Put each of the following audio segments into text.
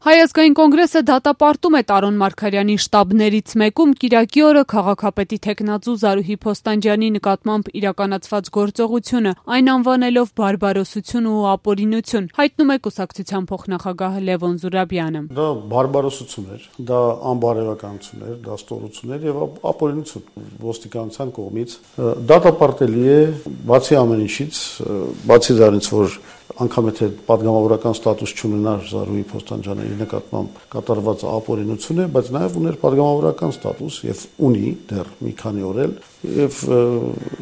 Հայ ազգային կոնգրեսը դատապարտում է Տարոն Մարգարյանի շտաբներից մեկում կիրակի օրը քաղաքապետի թեկնածու Զարուհի Փոստանջյանի նկատմամբ իրականացված գործողությունը, այն անվանելով բարբարոսություն ու ապօրինություն, հայտնում է կուսակցության փոխնախագահ Լևոն Զուրաբյանը։ Դա բարբարոսություն էր, դա անբարոյականություն էր, դա ստորություն էր եւ ապօրինություն ոստիկանության կողմից։ Դատապարտելի է բացի ամեն ինչից, բացի դրանից, որ անգամ եթե պատգամավորական ստատուս չունենար Զարուհի Փոստանջյանի նկատմամբ կատարված ապօրինություն է, բայց նաև ուներ պատգամավորական ստատուս եւ ունի դեռ մի քանի օր էլ եւ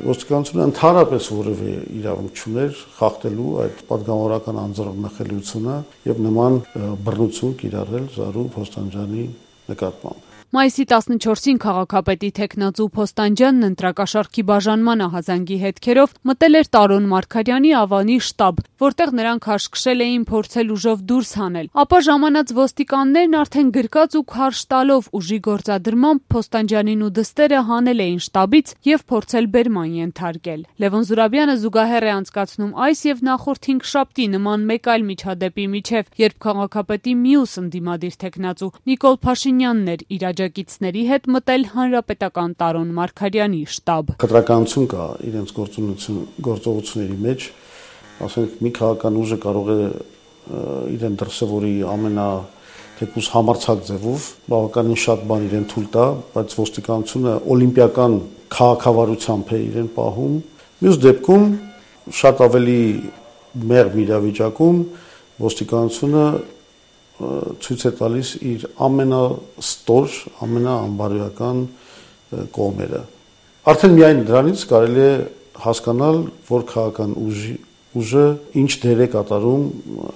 ոստիկանությունը ընդհանրապես որևէ իրավունք չուներ խախտելու այդ պատգամավորական անձեռնմխելիությունը եւ նման բռնություն կիրառել Զարուհի Փոստանջյանի նկատմամբ։ Մայիսի 14-ին քաղաքապետի թեկնածու Փոստանջյանն ընտրակաշառքի բաժանման ահազանգի հետքերով մտել էր Տարոն Մարգարյանի Ավանի շտաբ, որտեղ նրանք հաշկշել էին փորձել ուժով դուրս հանել, ապա ժամանած ոստիկաններն արդեն գրկած ու քարշ տալով ուժի գործադրմամբ Փոստանջյանին ու դստերը հանել էին շտաբից եւ փորձել բերման ենթարկել։ Լևոն Զուրաբյանը զուգահեռ է անցկացնում այս եւ նախորդ 5 շաբթի նման մեկ այլ միջադեպի միջև, երբ քաղաքապետի մյուս ընդդիմադիր թեկնածու Նիկոլ Փաշինյանն էր իր աջակիցների հետ մտել հանրապետական Տարոն Մարգարյանի շտաբ։ Կտրականություն կա իրենց գործողությունների մեջ, ասենք մի քաղաքական ուժը կարող է իրեն դրսևորի թեկուզ համարձակ ձևով, բավականին շատ բան իրեն թույլ տա, բայց ոստիկանությունը օլիմպիական քաղաքավարությամբ է իրեն պահում։ Մյուս դեպքում շատ ավելի մեղմ իրավիճակում ոստիկանությունը ցույց է տալիս իր ամենաստոր, ամենաանբարոյական կողմերը։ Արդեն միայն դրանից կարելի է հասկանալ, որ քաղաքական ուժը ինչ դեր է կատարում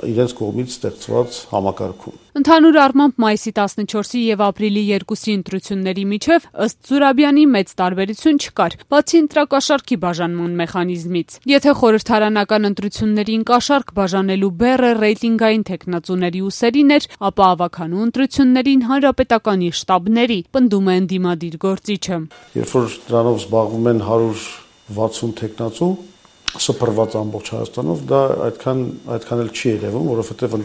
իրենց կողմից ստեղծված համակարգում։ Ընդհանուր առմամբ մայիսի 14-ի եւ ապրիլի 2-ի ընտրությունների միջև ըստ Զուրաբյանի մեծ տարբերություն չկար, բացի ընտրակաշառքի բաժանման մեխանիզմից։ Եթե խորհրդարանական ընտրություններին կաշառք բաժանելու բեռը ռեյտինգային թեկնածուների ուսերին էր, ապա ավականու ընտրություններին հանրապետականի շտաբների, պնդում է ընդդիմադիր գործիչը։ Երբ որ դրանով զբաղվում են 160 թեկնածու սփռված ամբողջ Հայաստանով, դա այդքան էլ չի երևում, որովհետև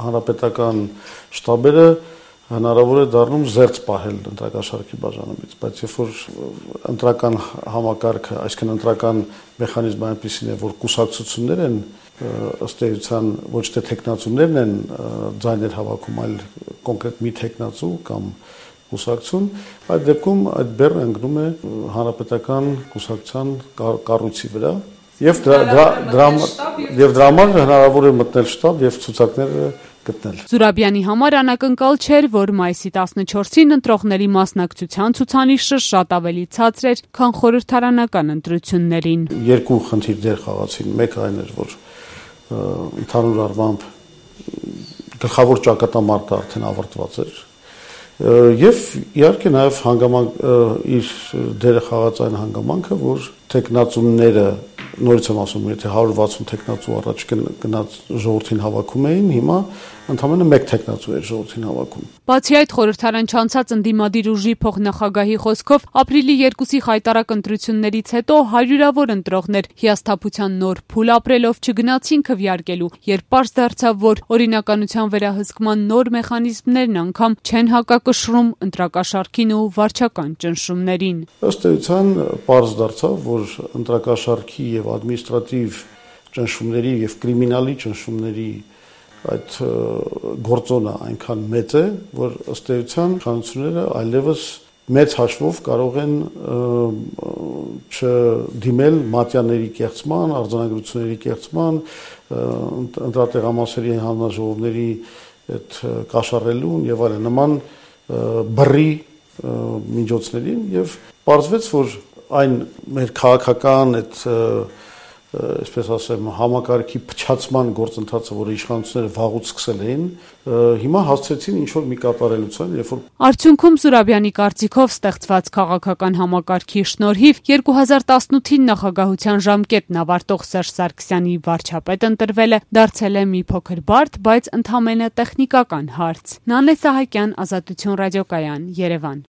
հանրապետական շտաբերը հնարավոր է դառնում զերծ պահել ընտրակաշառքի բաժանումից, բայց երբ որ ընտրական համակարգը, այսինքն ընտրական մեխանիզմը այնպեսին է, որ կուսակցություններ են ըստ էության ոչ թե թեկնածուներն են ձայներ հավաքում, այլ կոնկրետ մի թեկնածու կամ կուսակցություն, այդ դեպքում այդ բեռը ընկնում է հանրապետական կուսակցության կառույցի վրա եւ դրա համար հնարավոր է մտնել շտաբ եւ ցուցակները գտնել։ Զուրաբյանի համար անակնկալ չէր, որ մայիսի 14-ին ընտրողների մասնակցության ցուցանիշը շատ ավելի ցածր էր, քան խորհրդարանական ընտրություններին։ Երկու խնդիր դեր խաղացին, մեկը այն էր, որ ընդհանուր առմամբ գլխավոր ճակատամարտը արդեն ավարտված էր եւ իհարկե նաեւ հանգամանք իր դերը խաղաց այն հանգամանքը, որ թեկնածուները նորից եմ ասում, եթե 160 թեկնածու առաջ գնաց ժողովրդին հավաքում էին, հիմա ընդամենը 1 թեկնածու էր ժողովրդին հավաքում։ Բացի այդ, խորհրդարան չանցած ընդդիմադիր ուժի փոխնախագահի խոսքով ապրիլի 2-ի խայտարակ ընտրություններից հետո հարյուրավոր ընտրողներ հիասթափության նոր փուլ ապրելով չգնացին քվեարկելու, երբ պարզ դարձավ, որ օրինականության վերահսկման նոր մեխանիզմներն անգամ չեն հակակշռում ընտրակաշառքին ու վարչական ճնշումներին։ Ըստ էության պարզ դարձավ, որ ընտրակաշառքի եւ ադմինիստրատիվ ճնշումների եւ կրիմինալի ճնշումների այդ գործոնը այնքան մեծ է, որ ըստ էության իշխանությունները այլևս մեծ հաշվով կարող են չդիմել մատյաների կեղծման, արձանագրությունների կեղծման, ընտրատեղամասերի հանձնաժողովների այդ կաշառելուն եւ այլն նման բռի միջոցներին եւ պարզվեց, որ այն մեր քաղաքական այդ այսպես ասեմ համակարգի փչացման գործընթացը, որը իշխանությունները վաղուց սկսել էին, հիմա հասցրեցին ինչ որ մի կատարելության, երբ որ արդյունքում Զուրաբյանի կարծիքով ստեղծված քաղաքական համակարգի շնորհիվ 2018-ին նախագահության ժամկետն ավարտող Սերժ Սարգսյանի վարչապետ ընտրվելը դարձել է մի փոքր բարդ, բայց ընդամենը տեխնիկական հարց։ Նանե Սահակյան, Ազատություն ռադիոկայան, Երևան։